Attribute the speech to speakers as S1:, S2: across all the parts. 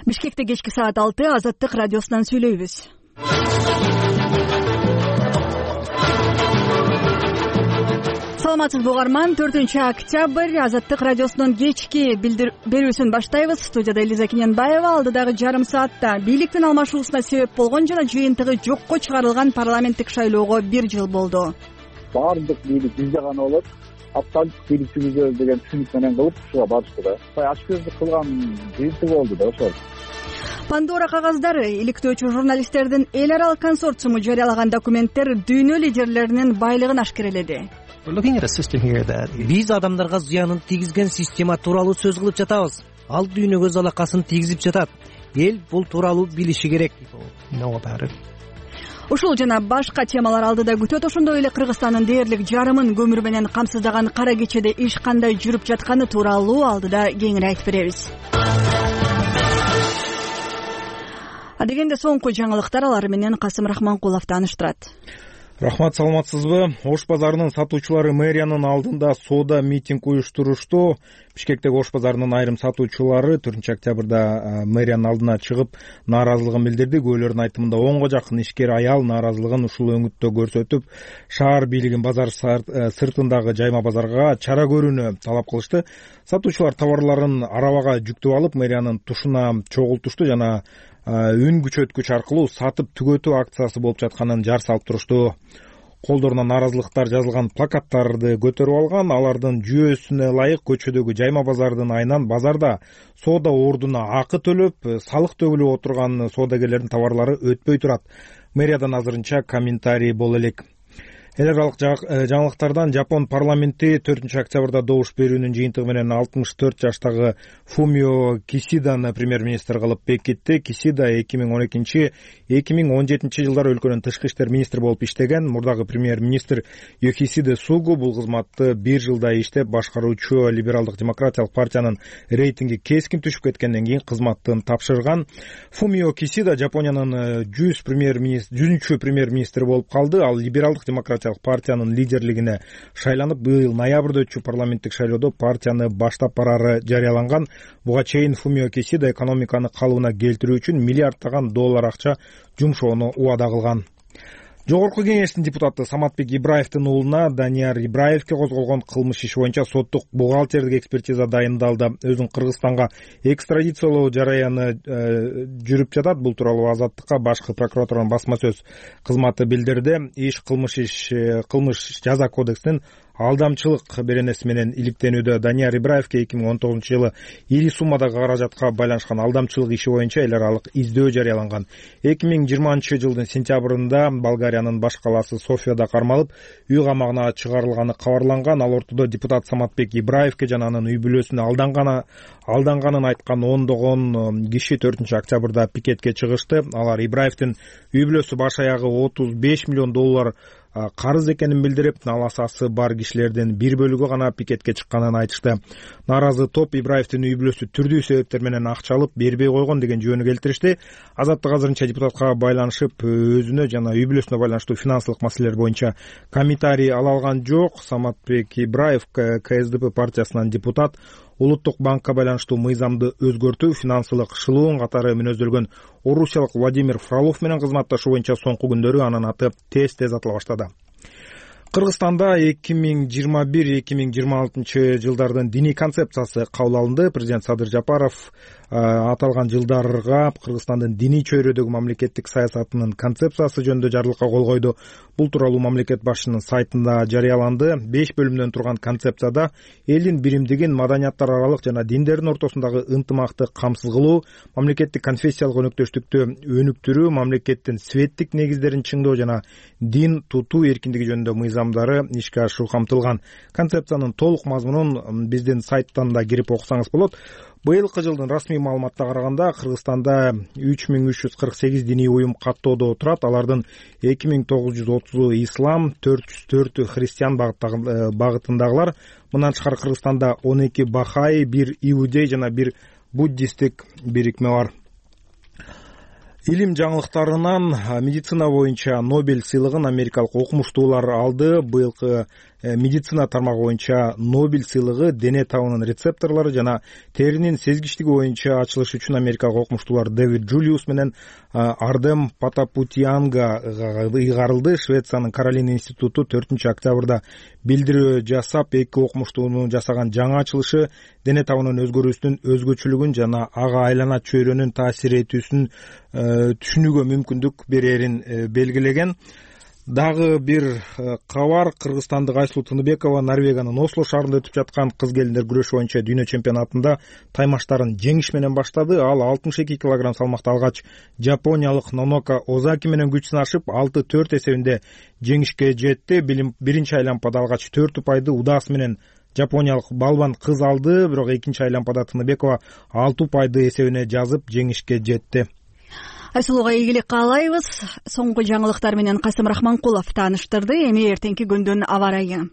S1: Бишкекте кечки саат 6 Азаттык радиосунан сүйлөйбүз. Саламатсызбы угарман, 4-октябрь Азаттык радиосунун кечки берүүсүн баштайбыз. Студияда Элиза Кененбаева. Алдыдагы жарым саатта бийликтин алмашуусуна себеп болгон жана жыйынтыгы жокко чыгарылган парламенттик шайлоого 1 жыл болду.
S2: Баардык бийлик бизде гана болот. Абсолюттук бийликчибиз деген түшүнүк менен кылып ушуга барышты да. Ашкөздүк кылган жыйынтыгы болду да ошол.
S1: Пандора кагаздары иликтөөчү журналисттердин эл аралык консорциуму жарыялаган документтер дүйнө лидерлеринин байлыгын ашкереледи.
S3: Биз адамдарга зыянын тийгизген система тууралуу сөз кылып жатабыз. Ал дүйнөгө залакасын тийгизип жатат. Эл бул тууралуу билиши керек.
S1: Ушул жана башка темалар алдыда күтөт. Ошондой эле Кыргызстандын дээрлик жарымын көмүр менен камсыздаган кара кечеде иш кандай жүрүп жатканы тууралуу алдыда кеңири айтып беребиз. Адегенде соңку жаңылыктар, алар менен Касым Рахманкулов тааныштырат.
S4: Рахмат, саламатсызбы? Ош базарынын сатуучулары мэриянын алдында соода митинг уюштурушту. Бишкектеги Ош базарынын айрым сатуучулары 4-октябрда мэриянын алдына чыгып нааразылыгын билдирди. Көөлөрдүн айтымында 10го жакын ишкер аял нааразылыгын ушул өңүттө көрсөтүп, шаар бийлигин базар сыртындагы жайма базарга чара көрүүнү талап кылышты. Сатуучулар товарларын арабага жүктөп алып, мэриянын тушуна чогултушту жана үн күчөткүч аркылуу сатып түгөтүү акциясы болуп жатканын жар салып турушту. Колдоруна нааразылыктар жазылган плакаттарды көтөрүп алган. Алардын жүйөсүнө ылайык көчөдөгү жайма базардын айынан базарда соода ордуна акы төлөп, салык төгүлүп отурган соодагерлердин товарлары өтпөй турат. Мэриядан азырынча комментарий боло элек. Эл аралык жаңылыктардан Жапон парламенти 4-октябрда добуш берүүнүн жыйынтыгы менен 64 жаштагы Фумио Кисиданы премьер-министр кылып бекитти. Кисида 2012-2017 жылдары өлкөнүн тышкы иштер министри болуп иштеген. Мурдагы премьер-министр Йохисиде Сугу бул кызматты 1 жылдай иштеп, башкаруучу либералдык демократиялык партиянын рейтинги кескин түшүп кеткенден кийин кызматтын тапшырган. Фумио Кисида Жапониянын 100-чү премьер-министри болуп калды. Ал либералдык демократиялык партиянын лидерлигине шайланып, быйыл ноябрда өтчү парламенттик шайлоодо партияны баштап барары жарыяланган. Буга чейин Фумио Кисида экономиканы калыбына келтирүү үчүн миллиарддаган доллар акча жумшоону убада кылган. Жогорку кеңештин депутаты Саматбек Ибраевдин уулуна Данияр Ибраевке козголгон кылмыш иши боюнча соттук бухгалтердик экспертиза дайындалды. Өзүн Кыргызстанга экстрадициялоо жараяны жүрүп жатат. Бул тууралуу Азаттыкка башкы прокуратуранын басма сөз кызматы билдирди. Кылмыш жаза кодексинин алдамчылык беренеси менен иликтенүүдө. Данияр Ибраевке 2019 жылы ири суммадагы каражатка байланышкан алдамчылык иши боюнча эл аралык издөө жарыяланган. 2020 жылдын сентябрында Болгариянын баш калаасы Софияда кармалып, үй камагына чыгарылганы кабарланган. Ал ортодо депутат Саматбек Ибраевке жана анын үй бүлөсүнө алданганын айткан ондогон киши 4-октябрда пикетке чыгышты. Алар Ибраевдин үй бүлөсү баш аягы 35 миллион доллар карыз экенин билдирип, наласасы бар кишилердин бир бөлүгү гана пикетке чыкканын айтышты. Нааразы топ Ибраевдин үй бүлөсү түрдүү себептер менен акча алып бербей койгон деген жөнү келтиришти. Азаттык азырынча депутатка байланышып, өзүнө жана үй бүлөсүнө байланыштуу финансылык маселелер боюнча комментарий ала алган жок. Саматбек Ибраев КСДП партиясынан депутат, Улуттук банкка байланыштуу мыйзамды өзгөртүү, финансылык шылуун катары мүнөздөлгөн орусиялык Владимир Фролов менен кызматташуу боюнча соңку күндөрү анын аты тез атыла баштады. Кыргызстанда 2021-2026 жылдардын диний концепциясы кабыл алынды. Президент Садыр Жапаров аталган жылдарга Кыргызстандын диний чөйрөдөгү мамлекеттик саясатынын концепциясы жөнүндө жарлыкка кол койду. Бул тууралуу мамлекет башчынын сайтында жарыяланды. 5 бөлүмдөн турган концепцияда элдин биримдигин, маданияттар аралык жана диндердин ортосундагы ынтымакты камсыз кылуу, мамлекеттик конфессиялык өнөктөштүктү өнүктүрүү, мамлекеттин светтик негиздерин чыңдоо жана дин тутуу эркиндиги жөнүндө мыйзамдары ишке ашыруу камтылган. Концепциянын толук мазмунун биздин сайттан да кирип окусаңыз болот. Быйылкы жылдын расмий маалыматына караганда Кыргызстанда 3348 диний уюм каттоодо турат. Алардын 2930 ислам, 404 христиан багытындагылар. Мындан тышкары Кыргызстанда 12 бахаи, 1 иудей жана 1 буддисттик бирикме бар. Илим жаңылыктарынан медицина боюнча Нобель сыйлыгын америкалык окумуштуулар алды. Быйылкы медицина тармагы боюнча Нобель сыйлыгы дене табынын рецепторлору жана теринин сезгичтиги боюнча ачылыш үчүн америкалык окумуштуулар Дэвид Джулиус менен Ардем Патапутианга ыйгарылды. Швециянын Каролина институту 4-октябрда билдирүү жасап, эки окумуштуунун жасаган жаңы ачылышы дене табынын өзгөрүүсүнүн өзгөчөлүгүн жана ага айлана чөйрөнүн таасир этүүсүн түшүнүүгө мүмкүндүк берерин белгилеген. Дагы бир кабар: кыргызстандык Айсулуу Тыныбекова Норвегиянын Осло шаарында өтүп жаткан кыз келиндер күрөшү боюнча дүйнө чемпионатында таймаштарын жеңиш менен баштады. Ал 62 кг салмакта алгач жапониялык Нонока Озаки менен күч сынашып 6-4 эсебинде жеңишке жетти. Биринчи айлампада алгач 4 упайды удаас менен жапониялык балбан кыз алды, бирок экинчи айлампада Тыныбекова 6 упайды эсебине жазып жеңишке жетти.
S1: Айсулууга ийгилик каалайбыз. Соңку жаңылыктар менен Касым Рахманкулов тааныштырды. Эми эртеңки күндүн аба ырайы.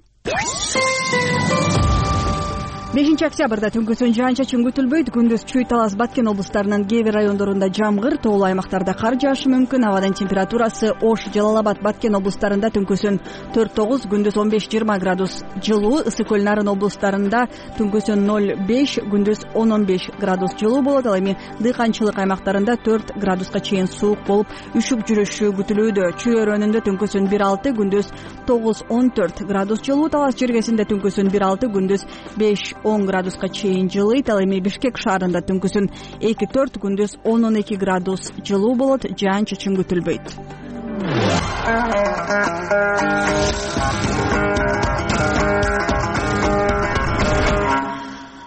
S1: 5-октябрда түнкүсүн жаан-чачын күтүлбөйт. Күндүз Чүй, Талас, Баткен облустарынын кээ бир райондорунда жамгыр, тоолуу аймактарда кар жаашы мүмкүн. Абадын температурасы Ош, Жалал-Абад, Баткен облустарында түнкүсүн 4-9, күндүз 15-20 градус жылуу. Ысык көл, Нарын облустарында түнкүсүн 0-5, күндүз 10-15 градус жылуу болот. Ал эми дыйканчылык аймактарында 4 градуска чейин суук болуп, үшүп жүрүшү күтүлүүдө. Чүй өрөөнүндө түнкүсүн 1-6, күндүз 9-14 градус жылуу. Талас жергесинде түнкүсүн 1-6, күндүз 5-10 градуска чейин жылыйт. Ал эми Бишкек шаарында түнкүсүн 2-4, күндүз 10-12 градус жылуу болот. Жаан-чачын күтүлбөйт.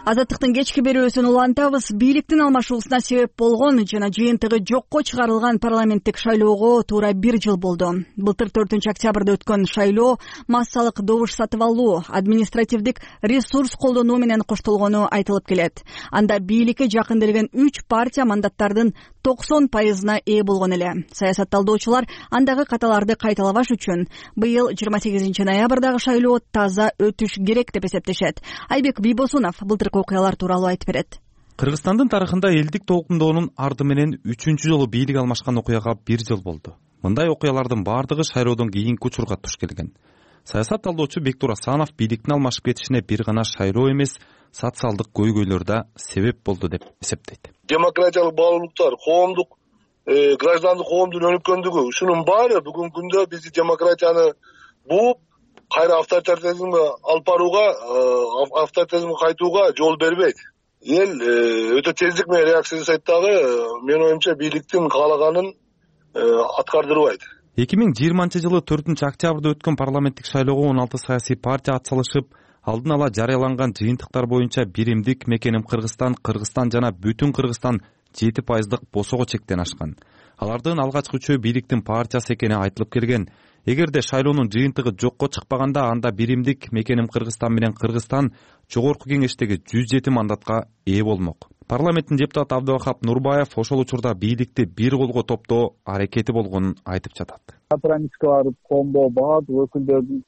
S1: Азаттыктын кечки берүүсүн улантабыз. Бийликтин алмашуусуна себеп болгон жана жыйынтыгы жокко чыгарылган парламенттик шайлоого туура 1 жыл болду. Былтыр 4-октябрда өткөн шайлоо массалык добуш сатып алуу, административдик ресурс колдонуу менен коштолгону айтылып келет. Анда бийликке жакын келген 3 партия мандаттардын 90%-на ээ болгон эле. Саясатталдоочулар андагы каталарды кайталабаш үчүн быйыл 28 ноябрдагы шайлоо таза өтүш керек деп эсептешет. Айбек Бийбосунов былтыркы окуялар тууралуу айтып берет.
S5: Кыргызстандын тарыхында элдик толкундоонун арды менен 3-чү жолу бийлик алмашкан окуяга 1 жыл болду. Мындай окуялардын бардыгы шайлоодон кийинки учурга туш келген. Саясатталдоочу Бектур Асанов бийликтин алмашып кетишине бир гана шайлоо эмес, социалдык көйгөйлөр да себеп болду деп эсептейт.
S6: Демократиялык баалуулуктар, коомдук, граждандык коомдун өнүккөндүгү, ушунун баары бүгүнкү күндө бизди демократияны бууп, кайра авторитаризмге алып барууга, авторитаризмге кайтууга жол бербейт. Эл өтө тездик менен реакция жасайт дагы, менин оюмча бийликтин каалаганын аткардырбайт.
S5: 2020-жылы 4-октябрда өткөн парламенттик шайлоого 16 саясий партия атсалышып, алдын ала жарыяланган жыйынтыктар боюнча биримдик мекеним Кыргызстан, Кыргызстан жана бүтүн Кыргызстан 7% босого чектен ашкан. Алардын алгачкы үчөө бийликтин партиясы экени айтылып келген. Эгерде шайлоонун жыйынтыгы жокко чыкпаганда, анда биримдик мекеним Кыргызстан менен Кыргызстан жогорку кеңештеги 107 мандатка ээ болмок. Парламенттин депутаты Абдыбахап Нурбаев ошол учурда бийликти бир колго топтоо аракети болгонун айтып жатат.
S2: Компромисске барып, коомдо баардык өкүлдөрдүн,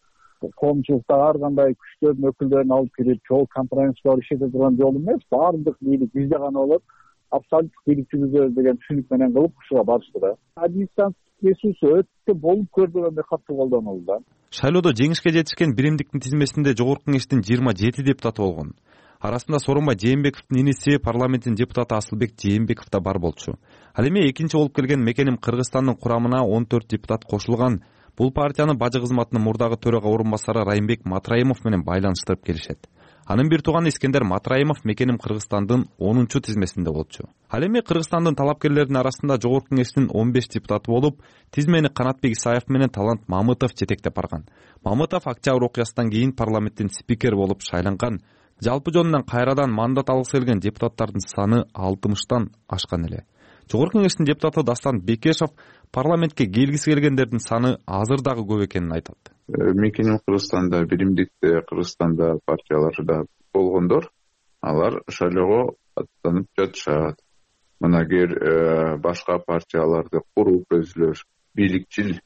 S2: коомчулуктагы ар кандай күчтөрдүн өкүлдөрүн алып кирип, жол компромисске барып иштете турган жол эмес, баардык бийлик бизде гана болот, абсолюттук бийлик жүргүзөбүз деген түшүнүк менен кылып ушуга барышты да. Администрациялык ресурсу өтө болуп көрбөгөндөй катуу колдонулду да.
S5: Шайлоодо жеңишке жетишкен биримдиктин тизмесинде жогорку кеңештин 27 депутаты болгон. Арасында Сооронбай Жээнбековдун иниси парламенттин депутаты Асылбек Жээнбеков да бар болчу. Ал эми экинчи болуп келген мекеним Кыргызстандын курамына 14 депутат кошулган. Бул партиянын бажы кызматынын мурдагы төрага орун басары Райымбек Матраимов менен байланыштырып келишет. Анын бир тууганы Искендер Матраимов мекеним Кыргызстандын 10-чу тизмесинде болчу. Ал эми Кыргызстандын талапкерлеринин арасында жогорку кеңештин 15 депутаты болуп, тизмени Канатбек Исаев менен Талант Мамытов жетектеп барган. Мамытов октябрь окуясынан кийин парламенттин спикери болуп шайланган. Жалпы жонунан кайрадан мандат алгысы келген депутаттардын саны 60тан ашкан эле. Жогорку кеңештин депутаты Дастан Бекешов парламентке келгиси келгендердин саны азыр дагы көп экенин айтат.
S7: Мекеним Кыргызстанда, биримдикте Кыргызстанда партиялары да болгондор, алар шайлоого аттанып жатышат. Мына эгер башка партияларды куруп өзүлөр бийликчил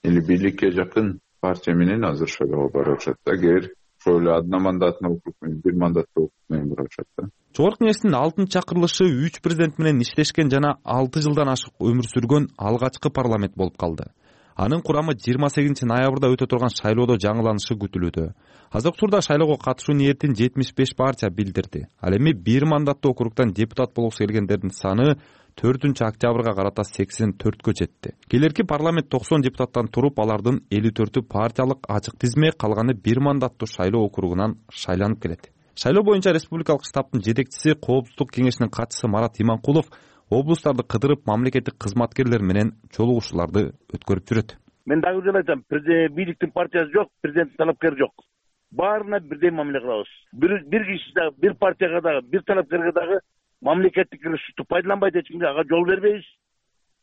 S7: или бийликке жакын партия менен азыр шайлоого барышат. Эгер ошол одномандатный округ менен, бир мандаттуу округ менен барышат да.
S5: Жогорку кеңештин 6-чакырылышы 3 президент менен иштешкен жана 6 жылдан ашык өмүр сүргөн алгачкы парламент болуп калды. Анын курамы 28 ноябрда өтө турган шайлоодо жаңыланышы күтүлүүдө. Азыркы учурда шайлоого катышуу ниетин 75 партия билдирди. Ал эми 1 мандаттуу округдан депутат болгусу келгендердин саны 4-октябрга карата 84кө жетти. Келерки парламент 90 депутаттан туруп, алардын 54-ü партиялык ачык тизме, калганы 1 мандаттуу шайлоо округунан шайланып келет. Шайлоо боюнча республикалык штабтын жетекчиси, Коопсуздук кеңешинин катчысы Марат Иманкулов облустарды кыдырып, мамлекеттик кызматкерлер менен жолугушууларды өткөрүп жүрөт.
S8: Мен дагы бир жолу айтам, бийликтин партиясы жок, президенттин талапкери жок. Баарына бирдей мамиле кылабыз. Бир киши дагы, бир партияга дагы, бир талапкерге дагы мамлекеттик ресурсту пайдаланбайт, эч кимге ага жол бербейбиз.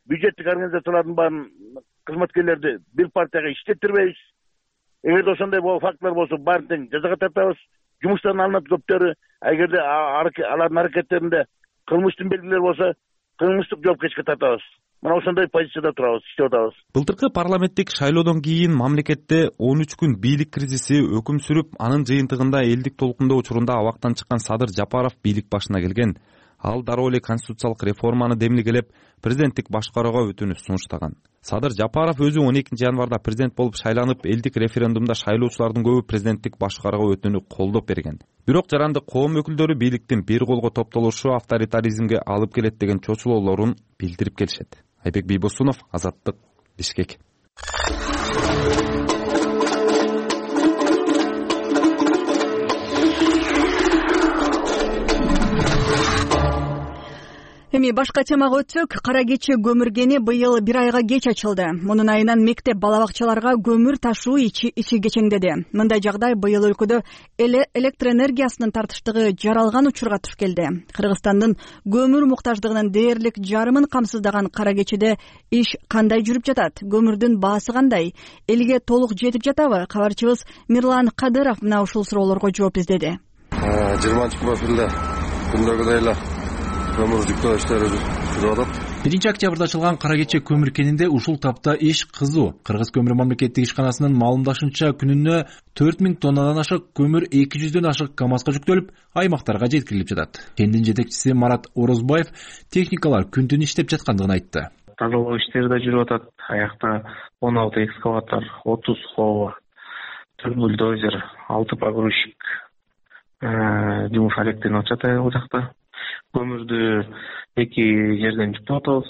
S8: Бюджеттик организациялардын баарын, кызматкерлерди бир партияга иштеттирбейбиз. Эгерде ошондой фактылар болсо, баарын тең жазага тартабыз. Жумуштан алынат көптөрү, эгерде алардын аракеттеринде кылмыштын белгилери болсо, кылмыштык жоопкерчиликке тартабыз. Мына ошондой позицияда турабыз, иштеп атабыз.
S5: Былтыркы парламенттик шайлоодон кийин мамлекетте 13 күн бийлик кризиси өкүм сүрүп, анын жыйынтыгында элдик толкундоо учурунда абактан чыккан Садыр Жапаров бийлик башына келген. Ал дароо эле конституциялык реформаны демилгелеп, президенттик башкарууга өтүнүш сунуштаган. Садыр Жапаров өзү 12 январда президент болуп шайланып, элдик референдумда шайлоочулардын көбү президенттик башкарууга өтүүнү колдоп берген. Бирок жарандык коом өкүлдөрү бийликтин бир колго топтолушу авторитаризмге алып келет деген чочулоолорун билдирип келишет. Айбек Бийбосунов, Азаттык, Бишкек.
S1: Эми башка темага өтсөк, Кара Кече көмүргени быйыл 1 айга кеч ачылды. Мунун айынан мектеп бала-бакчаларга көмүр ташуу ичи кечеңдеди. Мындай жагдай быйыл өлкөдө электр энергиясынын тартыштыгы жаралган учурга туш келди. Кыргызстандын көмүр муктаждыгынын дээрлик жарымын камсыздаган Кара Кечеде иш кандай жүрүп жатат? Көмүрдүн баасы кандай? Элге толук жетип жатабы? Кабарчыбыз Мирлан Кадыров мына ушул суроолорго жооп издеди.
S9: 20 апрелде күндөгүдөй эле көмүр жүктөө иштери жүрүп атат.
S10: 1 октябрда ачылган Кара Кече көмүр кенинде ушул тапта иш кызуу. Кыргыз көмүр мамлекеттик ишканасынын маалымдашынча, күнүнө 4000 тоннадан ашык көмүр 200дөн ашык КАМАЗга жүктөлүп, аймактарга жеткирилип жатат. Кендин жетекчиси Марат Орозбаев техникалар күн-түн иштеп жаткандыгын айтты.
S11: Тазалоо иштери да жүрүп атат. Аякта 16 экскаватор, 30 хова, 4 бульдозер, 6 погрузчик жумуш алектенип атышат ал жакта. Көмүрдү 2 жерден жүктөп атабыз.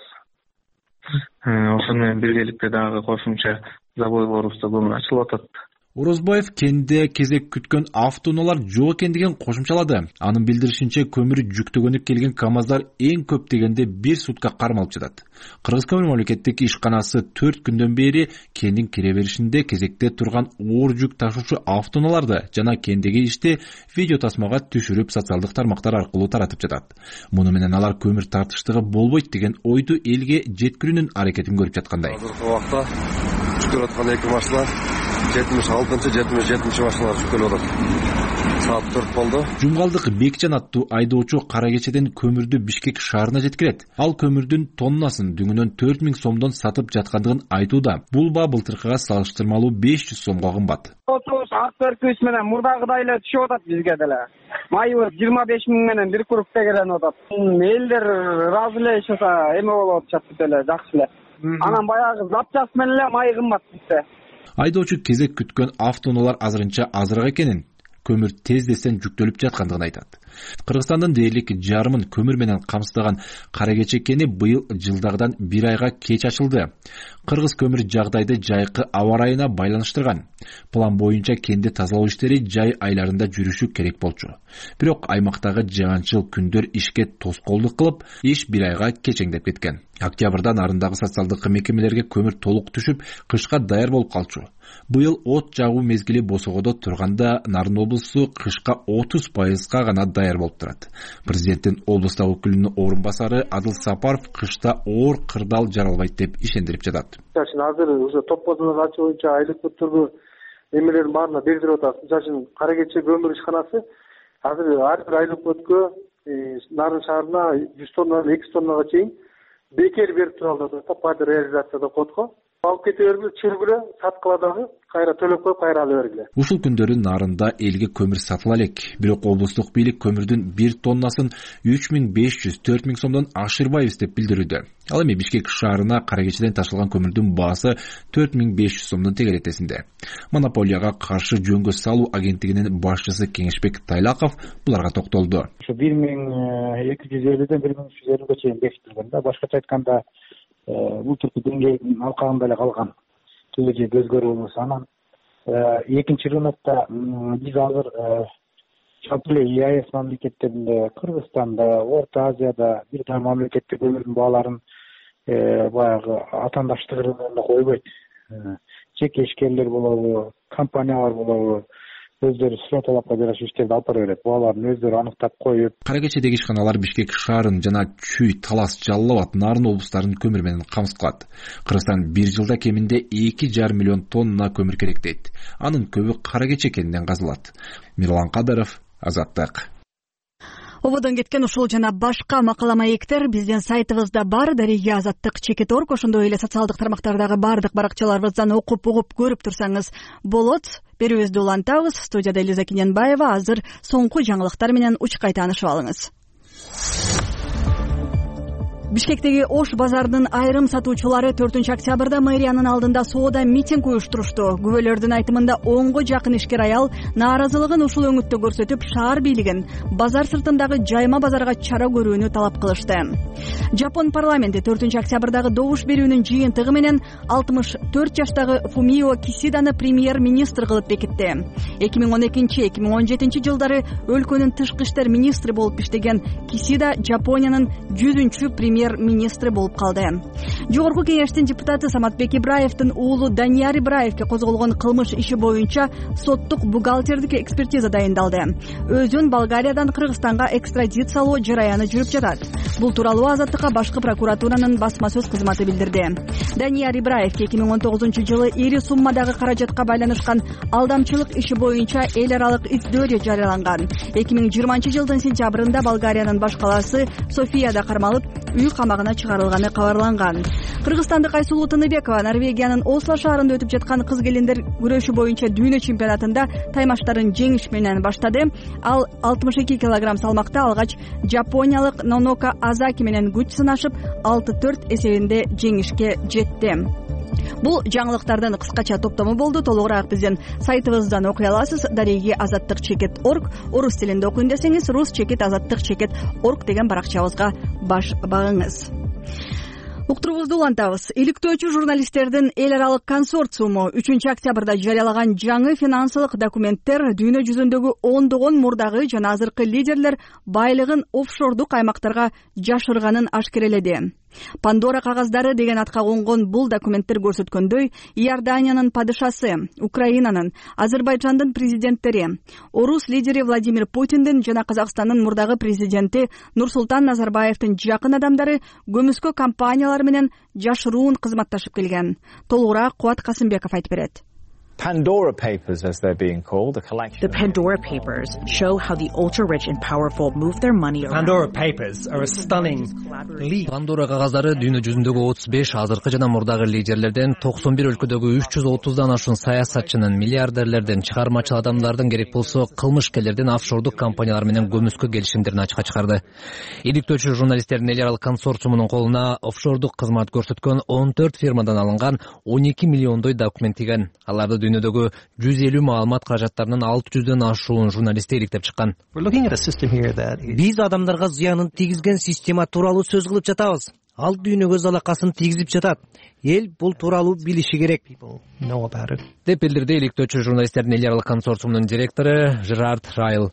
S11: Ошону менен биргеликте дагы кошумча забойлорубузда көмүр ачылып атат.
S10: Орозбаев кенде кезек күткөн автоунаалар жок экендигин кошумчалады. Анын билдиришинче, көмүр жүктөгөнүп келген КАМАЗдар эң көп дегенде 1 сутка кармалып жатат. Кыргыз көмүр мамлекеттик ишканасы 4 күндөн бери кендин кире беришинде кезекте турган оор жүк ташуучу автоунааларды жана кендеги ишти видео тасмага түшүрүп социалдык тармактар аркылуу таратып жатат. Муну менен алар көмүр тартыштыгы болбойт деген ойду элге жеткирүүнүн аракетин көрүп жаткандай.
S9: Азыркы убакта жүктөлүп аткан 2 машина 76-77 машиналар жүктөлүп атат. Саат 4 болду.
S10: Жумгалдык Бекжан аттуу айдоочу Кара Кечеден көмүрдү Бишкек шаарына жеткирет. Ал көмүрдүн тоннасын дүңүнөн 4000 сомдон сатып жаткандыгын айтууда. Бул баа былтыркыга салыштырмалуу 500 сомго кымбат.
S12: Акберкүбүз менен мурдагыдай эле түшүп атат бизге деле. Майыбыз 25 000 менен бир курупта келип атат. Элдер ыраазы эле ишаса эме болуп атышат деле, жакшы эле. Анан баягы запчасть менен эле май кымбат бизде.
S10: Айдоочу кезек күткөн автоунаалар азырынча азыраак экенин, көмүр тездесен жүктөлүп жаткандыгын айтат. Кыргызстандын дээрлик жарымын көмүр менен камсыздаган Кара Кече кени быйыл жылдагыдан 1 айга кеч ачылды. Кыргыз көмүр жагдайды жайкы аба ырайына байланыштырган. План боюнча кенди тазалоо иштери жай айларында жүрүшү керек болчу. Бирок аймактагы жаганчыл күндөр ишке тоскоолдук кылып, иш 1 айга кечеңдеп кеткен. Октябрда нарындагы социалдык мекемелерге көмүр толук түшүп, кышка даяр болуп калчу. Быйыл от жагуу мезгили босогодо турганда Нарын облусу кышка 30% гана даяр болуп турат. Президенттин облустагы өкүлүнүн орун басары Адыл Сапаров кышта оор кырдаал жаралбайт деп ишендирип жатат.
S13: Азыр уже топ-бозону ачуу боюнча айлык бүттүргү эмелердин баарына бердирип атат. Мисалы Кара Кече көмүр ишканасы азыр ар бир айлык бүткө Нарын шаарына 100 тоннадан 200 тоннага чейин бекер берип тура алат да, пайда реализацияда котко. алып кете бергиле, чүргүлө, саткыла дагы кайра төлөп коюп кайра ала бергиле.
S10: Ушул күндөрү Нарында элге көмүр сатыла элек. Бирок облустук бийлик көмүрдүн 1 тоннасын 3500–4000 сомдон ашырбайбыз деп билдирүүдө. Ал эми Бишкек шаарына Каракечеден ташылган көмүрдүн баасы 4500 сомдон тегеретесинде. Монополияга каршы жөнгө салуу агенттигинин башчысы Кеңешбек Тайлаков буларга токтолду.
S14: Ошо 1250ден 1350ге чейин бекитилген да. Башкача айтканда, бул түркү деңгээлдин алкагында эле калган. Түгөжө өзгөрүү болбосо, анан экинчи рынокто биз азыр жалпы эле ЕАЭС мамлекеттеринде, Кыргызстанда, Орто Азияда бир да мамлекетте көмүрдүн бааларын баягы атаандаштык рыногунда койбойт. Жеке ишкерлер болобу, компаниялар болобу, өздөрү сұроо талапка жараша иштерди алып бара берет. Бааларын өздөрү аныктап коюп.
S10: Каракечедеги ишканалар Бишкек шаарын жана Чүй, Талас, Жалал Абад, Нарын облустарын көмүр менен камсыз кылат. Кыргызстан бир жылда кеминде 2,5 миллион тонна көмүр керек дейт. Анын көбү Каракече кенинен казылат. Мирлан Кадыров, Азаттык.
S1: Ободон кеткен ушул жана башка макала маектер биздин сайтыбызда бар. Дареги Азаттык.org, ошондой эле социалдык тармактардагы бардык баракчаларыбыздан окуп угуп көрүп турсаңыз болот. Берүүбүздү улантабыз. Студияда Элиза Кененбаева. Азыр соңку жаңылыктар менен учкай таанышып алыңыз. Бишкектеги Ош базарынын айрым сатуучулары 4-октябрда мэриянын алдында соода митинг уюштурушту. Күбөлөрдүн айтымында 10го жакын ишкер аял нааразылыгын ушул өңүттө көрсөтүп, шаар бийлигин базар сыртындагы жайма базарга чара көрүүнү талап кылышты. Жапон парламенти 4-октябрдагы добуш берүүнүн жыйынтыгы менен 64 жаштагы Фумио Кисиданы премьер-министр кылып бекитти. 2012-2017 жылдары өлкөнүн тышкы иштер министри болуп иштеген Кисида Жапониянын 100-чү премьер-министри болуп калды. Жогорку кеңештин депутаты Саматбек Ибраевдин уулу Данияр Ибраевге козголгон кылмыш иши боюнча соттук бухгалтердик экспертиза дайындалды. Өзүн Болгариядан Кыргызстанга экстрадициялоо жараяны жүрүп жатат. Бул тууралуу Азаттыкка башкы прокуратуранын басма сөз кызматы билдирди. Данияр Ибраевге 2019 ири суммадагы каражатка байланышкан алдамчылык иши боюнча эл аралык издөө жарыяланган. 2020 жылдын сентябрында Болгариянын баш калаасы Софияда кармалып, үй камагына чыгарылганы кабарланган. Кыргызстандык Айсулуу Тыныбекова Норвегиянын Осло шаарында өтүп жаткан кыз келиндер күрөшү боюнча дүйнө чемпионатында таймаштарын жеңиш менен баштады. Ал 62 кг салмакта алгач жапониялык Нонока Азаки менен күч сынашып 6-4 эсебинде жеңишке жетти. Бул жаңылыктардын кыскача топтому болду. Толугураак биздин сайтыбыздан окуй аласыз. Дареги Азаттык.org, орус тилинде окуйм десеңиз rus.azаттык.org деген баракчабызга баш багыңыз. Уктурубузду улантабыз. Иликтөөчү журналисттердин эл аралык консорциуму 3-октябрда жарыялаган жаңы финансылык документтер дүйнө жүзүндөгү ондогон мурдагы жана азыркы лидерлер байлыгын офшордук аймактарга жашырганын ашкереледи. Пандора кагаздары деген атка конгон бул документтер көрсөткөндөй, Иорданиянын падышасы, Украинанын, Азербайжандын президенттери, орус лидери Владимир Путиндин жана Казакстандын мурдагы президенти Нурсултан Назарбаевдин жакын адамдары көмүскө компаниялар менен жашыруун кызматташып келген. Толугураак Кубат Касымбеков айтып берет.
S15: Pandora Papers, as they're being called, a collection. The Pandora Papers show how the ultra-rich and powerful move their money around.
S3: Pandora Papers are a stunning leap. Pandora кагаздары дүйнө жүзүндөгү 35 азыркы жана мурдагы лидерлерден 91 өлкөдөгү 330дан ашуун саясатчынын, миллиардерлерден, чыгармачыл адамдардын, керек болсо кылмышкерлердин офшордук компаниялар менен көмүскө келишимдерин ачыкка чыгарды. Иликтөөчү журналисттердин эл аралык консорциумунун колуна офшордук кызмат көрсөткөн 14 фирмадан алынган 12 миллиондой документ тийген. Аларды дүйнөдөгү 150 маалымат каражаттарынын 600дөн ашуун журналисти иликтеп чыккан. Биз адамдарга зыянын тийгизген система тууралуу сөз кылып жатабыз. Ал дүйнөгө залакасын тийгизип жатат. Эл бул тууралуу билиши керек, деп билдирди иликтөөчү журналисттердин эл аралык консорциумунун директору Жерард Райл.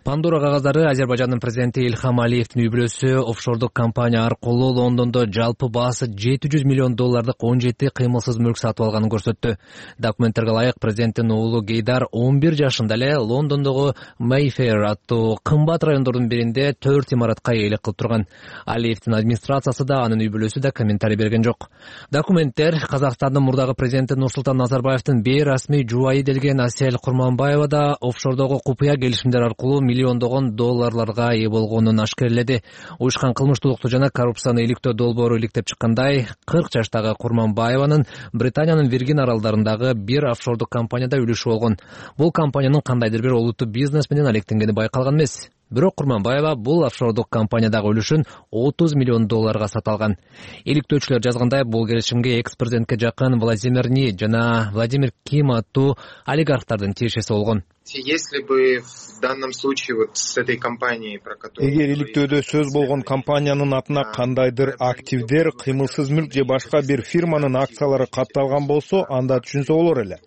S3: Пандора кагаздары Азербайжандын президенти Ильхам Алиевдин үй бүлөсү офшордук компания аркылуу Лондондо жалпы баасы $700 миллион 17 кыймылсыз мүлк сатып алганын көрсөттү. Документтерге ылайык президенттин уулу Гейдар 11 жашында эле Лондондогу Mayfair аттуу кымбат райондордун биринде 4 имаратка ээлик кылып турган. Алиевдин администрациясы да, анын үй бүлөсү да комментарий берген жок. Документтер Казакстандын мурдагы президенти Нурсултан Назарбаевдин бейрасмий жубайы делген Асель Курманбаева да офшордогу купуя келишимдер аркылуу миллиондогон долларларга ээ болгонун ашкерледи. Уюшкан кылмыштуулукту жана коррупцияны иликтөө долбоору иликтеп чыккандай 40 жаштагы Курманбаеванын Британиянын Виргин аралдарындагы бир офшордук компанияда үлүшү болгон. Бул компаниянын кандайдыр бир олуттуу бизнес менен алектенгени байкалган эмес. Бирок Курманбаева бул офшордук компаниядагы үлүшүн 30 миллион долларга сата алган. Иликтөөчүлөр жазгандай, бул келишимге экс-президентке жакын Владимир Ни жана Владимир Ким аттуу олигархтардын тиешеси болгон.
S16: Если бы в данном случае вот с этой компанией, про которую...
S4: Эгер иликтөөдө сөз болгон компаниянын атына кандайдыр активдер, кыймылсыз мүлк же башка бир фирманын акциялары катталган болсо, анда түшүнсө болор эле.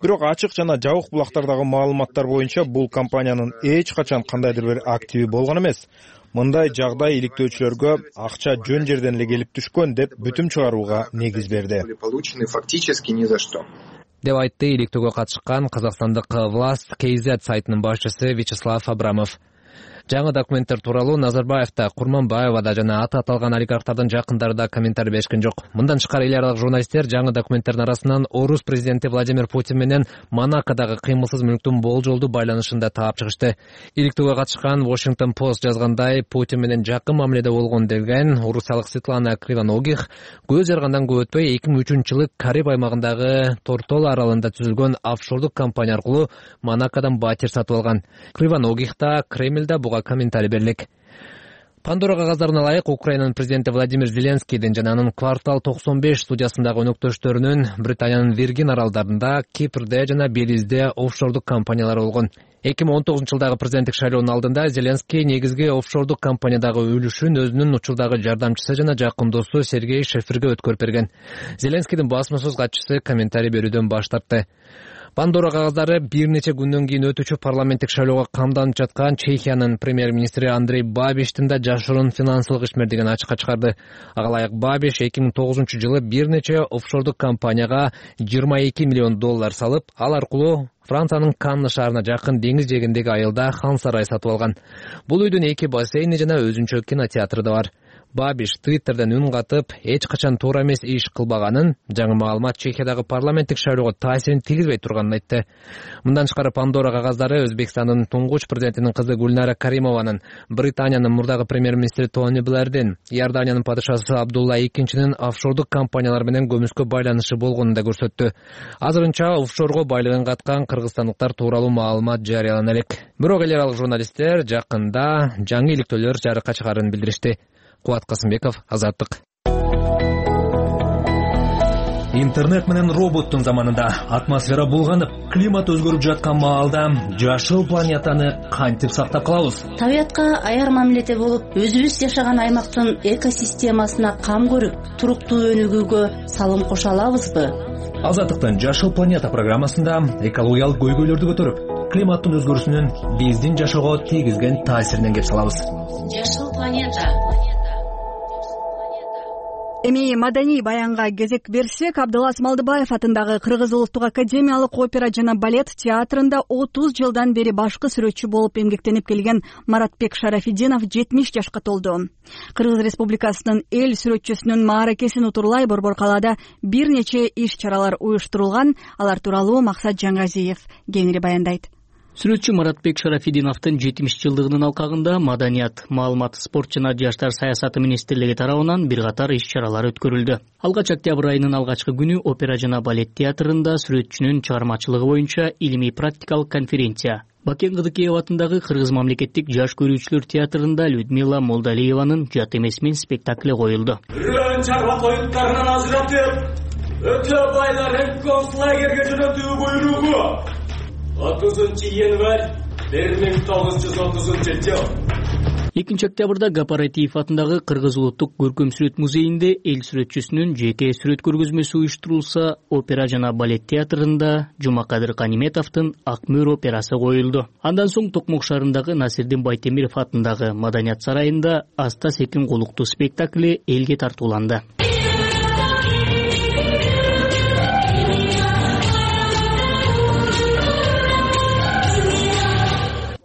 S4: Бирок ачык жана жабык булактардагы маалыматтар боюнча бул компаниянын эч качан кандайдыр бир активи болгон эмес. Мындай жагдай иликтөөчүлөргө акча жөн жерден эле келип түшкөн деп бүтүм чыгарууга негиз берди.
S16: Получены фактически ни за что.
S3: Деп айтты иликтөөгө катышкан казакстандык Власт KZ сайтынын башчысы Вячеслав Абрамов. Жаңы документтер тууралуу Назарбаев да, Курманбаева да жана аты аталган олигархтардын жакындары да комментарий беришкен жок. Мындан тышкары эл аралык журналисттер жаңы документтердин арасынан орус президенти Владимир Путин менен Монакодагы кыймылсыз мүлктүн болжолдуу байланышын да таап чыгышты. Иликтөөгө катышкан Washington Post жазгандай, Путин менен жакын мамиледе болгон деген орусиялык Светлана Кривоногих көз жаргандан көп өтпөй 2003-жылы Кариб аймагындагы Тортола аралында түзүлгөн офшордук компания аркылуу Монакодон батир сатып алган. Кривоногих да, Кремль да буга комментарий берлик. Пандора кагаздарына ылайык Украинанын президенти Владимир Зеленскийдин жана анын Квартал 95 студиясындагы өнөктөштөрүнүн Британиянын Виргин аралдарында, Кипрде жана Белизде офшордук компаниялары болгон. 2019-жылдагы президенттик шайлоонун алдында Зеленский негизги офшордук компаниядагы үлүшүн өзүнүн учурдагы жардамчысы жана жакын досу Сергей Шеферге өткөрүп берген. Зеленскийдин басма сөз катчысы комментарий берүүдөн баш тартты. Пандора кагаздары бир нече күндөн кийин өтүүчү парламенттик шайлоого камданып жаткан Чехиянын премьер-министри Андрей Бабиштин да жашыруун финансылык ишмердигин ачыкка чыгарды. Ага ылайык Бабиш 2009-жылы бир нече офшордук компанияга 22 миллион доллар салып, ал аркылуу Франциянын Канны шаарына жакын деңиз жээгиндеги айылда хан сарай сатып алган. Бул үйдүн 2 бассейни жана өзүнчө кинотеатры да бар. Бабиш Твиттерден үн катып, эч качан туура эмес иш кылбаганын, жаңы маалымат Чехиядагы парламенттик шайлоого таасирин тийгизбей турганын айтты. Мындан тышкары Пандора кагаздары Өзбекстандын туңгуч президентинин кызы Гүлнара Каримованын, Британиянын мурдагы премьер-министри Тони Блэрдин, Иорданиянын падышасы Абдулла II офшордук компаниялар менен көмүскө байланышы болгонун да көрсөттү. Азырынча офшорго байлыгын каткан кыргызстандыктар тууралуу маалымат жарыялана элек. Бирок эл аралык журналисттер жакында жаңы иликтөөлөр жарыкка чыгарын билдиришти. Кубат Касымбеков, Азаттык.
S17: Интернет менен роботтун заманында атмосфера булганып, климат өзгөрүп жаткан маалда жашыл планетаны кантип сактап калабыз?
S18: Табиятка аяр мамиледе болуп, өзүбүз жашаган аймактын экосистемасына кам көрүп, туруктуу өнүгүүгө салым кошо алабызбы?
S17: Азаттыктын Жашыл планета программасында экологиялык көйгөйлөрдү көтөрүп, климаттын өзгөрүүсүнүн биздин жашоого тийгизген таасиринен кеп салабыз.
S18: Жашыл планета.
S1: Эми маданий баянга кезек берсек, Абдылас Малдыбаев атындагы Кыргыз Улуттук академиялык опера жана балет театрында 30 жылдан бери башкы сүрөтчү болуп эмгектенип келген Маратбек Шарафиддинов 70 жашка толду. Кыргыз Республикасынын эл сүрөтчүсүнүн мааракесин утурлай Борбор калаада бир нече иш-чаралар уюштурулган. Алар тууралуу Максат Жаңгазиев кеңири баяндайт.
S19: Сүрөтчү Маратбек Шарафиддиновдун 70 жылдыгынын алкагында Маданият, маалымат, спорт жана жаштар саясаты министрлиги тарабынан бир катар иш-чаралар өткөрүлдү. Алгач октябрь айынын алгачкы күнү опера жана балет театрында сүрөтчүнүн чыгармачылыгы боюнча илимий-практикалык конференция, Бакен Кыдыкеев атындагы Кыргыз мамлекеттик жаш көрүүчүлөр театрында Людмила Молдалиеванын Жат эмес мен спектакли коюлду.
S20: Чарба коюттарынан ажыратып, өтө байларын концлагерге жөнөтүү буйругу 30-январь 1930 жыл.
S19: 2 октябрда Гапаратиев атындагы Кыргыз улуттук көркөм сүрөт музейинде эл сүрөтчүсүнүн жеке сүрөт көргөзмөсү уюштурулса, опера жана балет театрында Жумакадыр Каниметовдун Ак мөр операсы коюлду. Андан соң Токмок шаарындагы Насирдин Байтемиров атындагы Маданият сарайында Аста Секин Голуктуу спектакли элге тартууланды.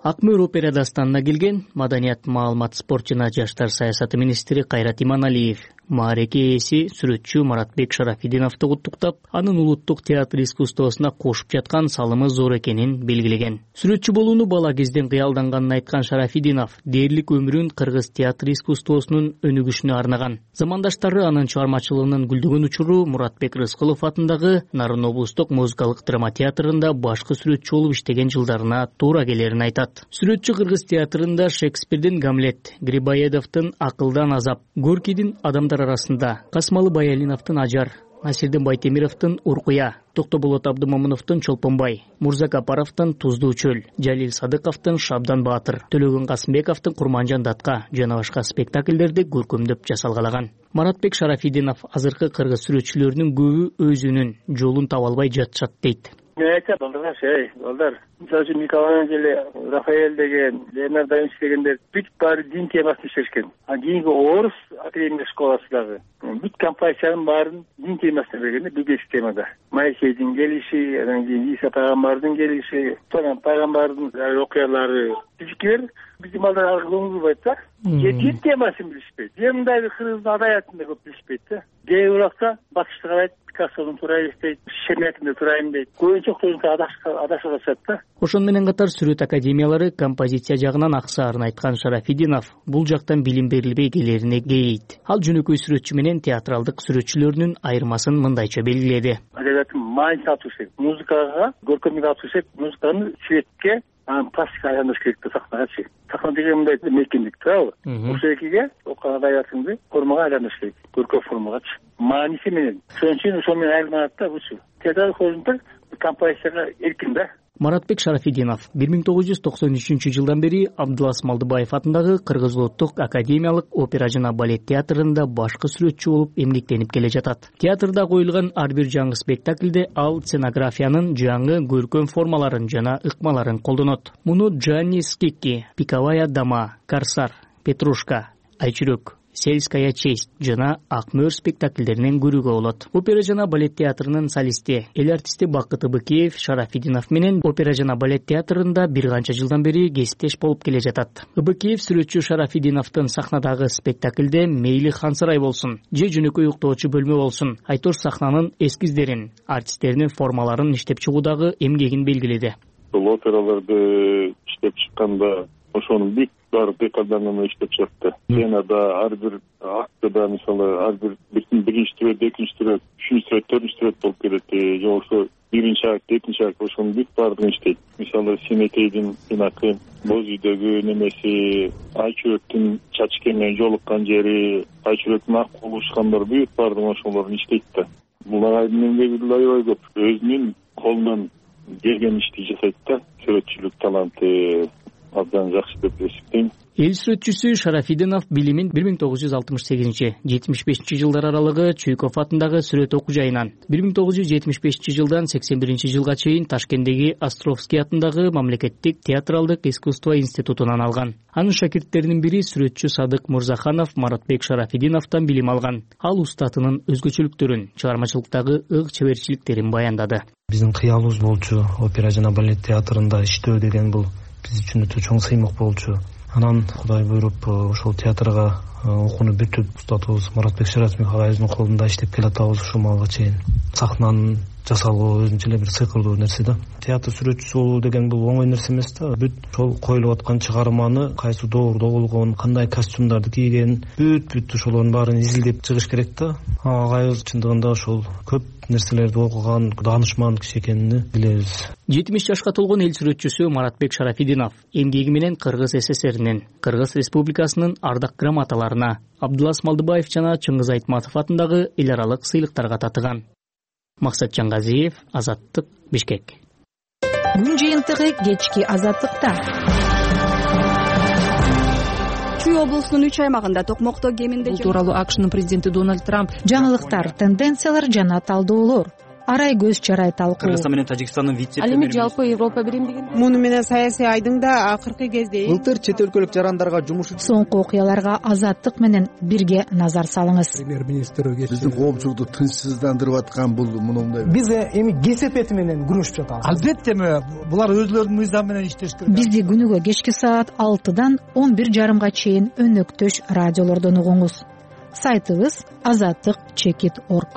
S19: Ак мөр опера дастанына келген Маданият, маалымат, спорт жана жаштар саясаты министри Кайрат Иманалиев Маареке ээси сүрөтчү Маратбек Шарафидиновду куттуктап, анын улуттук театр искусствосуна кошуп жаткан салымы зор экенин белгилеген. Сүрөтчү болууну бала кезден кыялданганын айткан Шарафидинов дээрлик өмүрүн кыргыз театр искусствосунун өнүгүшүнө арнаган. Замандаштары анын чыгармачылыгынын гүлдөгөн учуру Муратбек Рыскулов атындагы Нарын облустук музыкалык драма театрында башкы сүрөтчү болуп иштеген жылдарына туура келерин айтат. Сүрөтчү кыргыз театрында Шекспирдин Гамлет, Грибоедовдун Акылдан азап, Горкийдин Адамдар арасында, Касмалы Баялиновдун Ажар, Насирдин Байтемировдун Уркуя, Токтоболот Абдымомуновдун Чолпонбай, Мурзакапаровдун Туздуу чөл, Жалил Садыковдун Шабдан Баатыр, Төлөгөн Касымбековдун Курманжан Датка жана башка спектакльдерди көркөмдөп жасалгалаган. Маратбек Шарафидинов азыркы кыргыз сүрөтчүлөрүнүн көбү өзүнүн жолун таба албай жатышат дейт.
S21: Мен айтам, балдар, мисалы үчүн Микеланджело, Рафаэль деген, Леонардо да Винчи дегендер бүт баары дин темасын иштешкен. Кийинки орус академия школасы дагы бүт композициянын баарын дин темасына бергенде бигеш темада. Моисейдин келиши, анан кийин Иса пайгамбардын келиши, сонан пайгамбардын окуялары түзүкөр биздин балдар ага көңүл бурбайт да. Дин темасын билишпейт. Мындайбы кыргыздын адаятын да көп билишпейт да. Кээ бир убакта батышты карайт, Пикассонун туура эстейт, Шеметинди турайын дейт. Көбүнчө адашып атышат да.
S19: Ошон менен катар сүрөт академиялары композиция жагынан аксаарын айткан Шарафидинов бул жактан билим берилбей келерине кейейт. Ал жөнөкөй сүрөтчү менен театралдык сүрөтчүлөрүнүн айырмасын мындайча белгиледи.
S21: Адабияттын маанисин алып жүрсөк, музыкага, көркөмдүккө алып жүрсөк, музыканы светке, анан пластикага айландырыш керек да, сахнагачы. Сахна деген мындай мейкиндик туурабы? Ошол экиге окуган адабиятыңды формага айландырыш керек, көркөм формагачы. Мааниси менен. Ошон үчүн ошол менен айырмаланат да бучу. Театр хозунтар композицияга эркин да.
S19: Маратбек Шарафидинов 1993 жылдан бери Абдулас Малдыбаев атындагы Кыргыз улуттук академиялык опера жана балет театрында башкы сүрөтчү болуп эмгектенип келе жатат. Театрда коюлган ар бир жаңы спектакльде ал сценографиянын жаңы көркөм формаларын жана ыкмаларын колдонот. Муну Джанни Скикки, Пиковая дама, Корсар, Петрушка, Айчүрөк, Сельская честь жана Ак мөөр спектакльдеринен көрүүгө болот. Опера жана балет театрынын солисти, эл артисти Бакыт Ыбыкеев Шарафидинов менен опера жана балет театрында бир канча жылдан бери кесиптеш болуп келе жатат. Ыбыкеев сүрөтчү Шарафидиновдун сахнадагы спектакльде мейли Хансырай болсун, же жөнөкөй уктоочу бөлмө болсун, айтор сахнанын эскиздерин, артисттеринин формаларын иштеп чыгуудагы эмгегин белгиледи.
S22: Бул операларды иштеп чыкканда ошонун бүт баары декаданын иштеп чыкты. Сценада ар бир актыда мисалы ар бир биринчи түрөт, экинчи түрөт, үчүнчү түрөт, төртүнчү түрөт болуп келет. Же болбосо биринчи акт, экинчи акт ошонун бүт баардыгын иштейт. Мисалы Симетейдин сынакы, Боз үйдөгү немеси, Айчүрөктүн Чачке менен жолуккан жери, Айчүрөктүн ак болушкандар бүт баардыгын ошолорун иштейт да. Бул агайдын эмгеги аябай көп. Өзүнүн колунан келген ишти жасайт да. Сүрөтчүлүк таланты абдан жакшы деп эсептейм.
S19: Эл сүрөтчүсү Шарафидинов билимин 1968-75 жылдар аралыгы Чуйков атындагы сүрөт окуу жайынан, 1975 жылдан 81 жылга чейин Ташкенттеги Островский атындагы мамлекеттик театралдык искусство институтунан алган. Анын шакирттеринин бири сүрөтчү Садык Мурзаханов Маратбек Шарафидиновдон билим алган. Ал устатынын өзгөчөлүктөрүн, чыгармачылыктагы ык чеберчиликтерин баяндады.
S23: Биздин кыялыбыз болчу опера жана балет театрында иштөө деген бул биз үчүн өтө чоң сыймык болчу. Анан Кудай буйруп ошол театрга окууну бүтүп устатыбыз Маратбек Шарафидинов агайыбыздын колунда иштеп келатабыз ушул малга чейин. Сахнанын жасалуу өзүнчө эле бир сыйкырдуу нерсе да. Театр сүрөтчүсү болуу деген бул оңой нерсе эмес да. Бүт ошол коюлуп аткан чыгарманы кайсы доордо болгон, кандай костюмдарды кийген, бүт ошолордун баарын изилдеп чыгыш керек да. Агайыбыз чындыгында ошол көп нерселерди окуган даанышман киши экенин билебиз.
S19: 70 жашка толгон эл сүрөтчүсү Маратбек Шарафидинов эмгеги менен Кыргыз СССРинин, Кыргыз Республикасынын ардак грамоталарына, Абдулас Малдыбаев жана Чыңгыз Айтматов атындагы эл аралык сыйлыктарга татыган. Максат Жаңгазиев, Азаттык, Бишкек.
S24: Күн жыйынтыгы кечки Азаттыкта.
S1: Чүй облусунун 3 аймагында токмокто кеминде
S24: бул тууралуу АКШнын президенти Дональд Трамп жаңылыктар, тенденциялар жана талдоолор арай көз чарай талкуу.
S25: Кыргызстан менен Тажикстандын
S24: Ал эми жалпы Европа биримдигин
S26: муну менен саясий айдың да акыркы кезде
S25: былтыр чет өлкөлүк жарандарга жумуш
S24: соңку окуяларга Азаттык менен бирге назар салыңыз.
S27: Премьер-министр биздин коомчулукту тынчсыздандырып аткан бул мындай.
S28: Биз эми кесепети менен күрөшүп жатабыз. Албетте булар өзлөрүнүн мыйзамы менен иштеш керек.
S24: Бизди күнүгө кечки саат 6-дан 11:30 чейин өнөктөш радиолордон угуңуз. сайтыбыз azattik.org.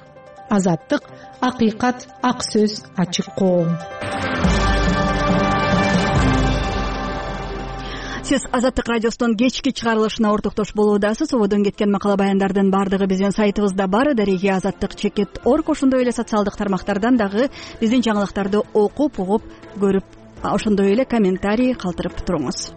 S24: Азаттык — акыйкат, ак сөз, ачык коом.
S1: Сиз Азаттык радиосунун кечки чыгарылышына ортоктош болуудасыз. Ободон кеткен макала баяндардын баардыгы биздин сайтыбызда бар. Дареги azattik.org. Ошондой эле социалдык тармактардан дагы биздин жаңылыктарды окуп, угуп, көрүп, ошондой эле комментарий калтырып туруңуз.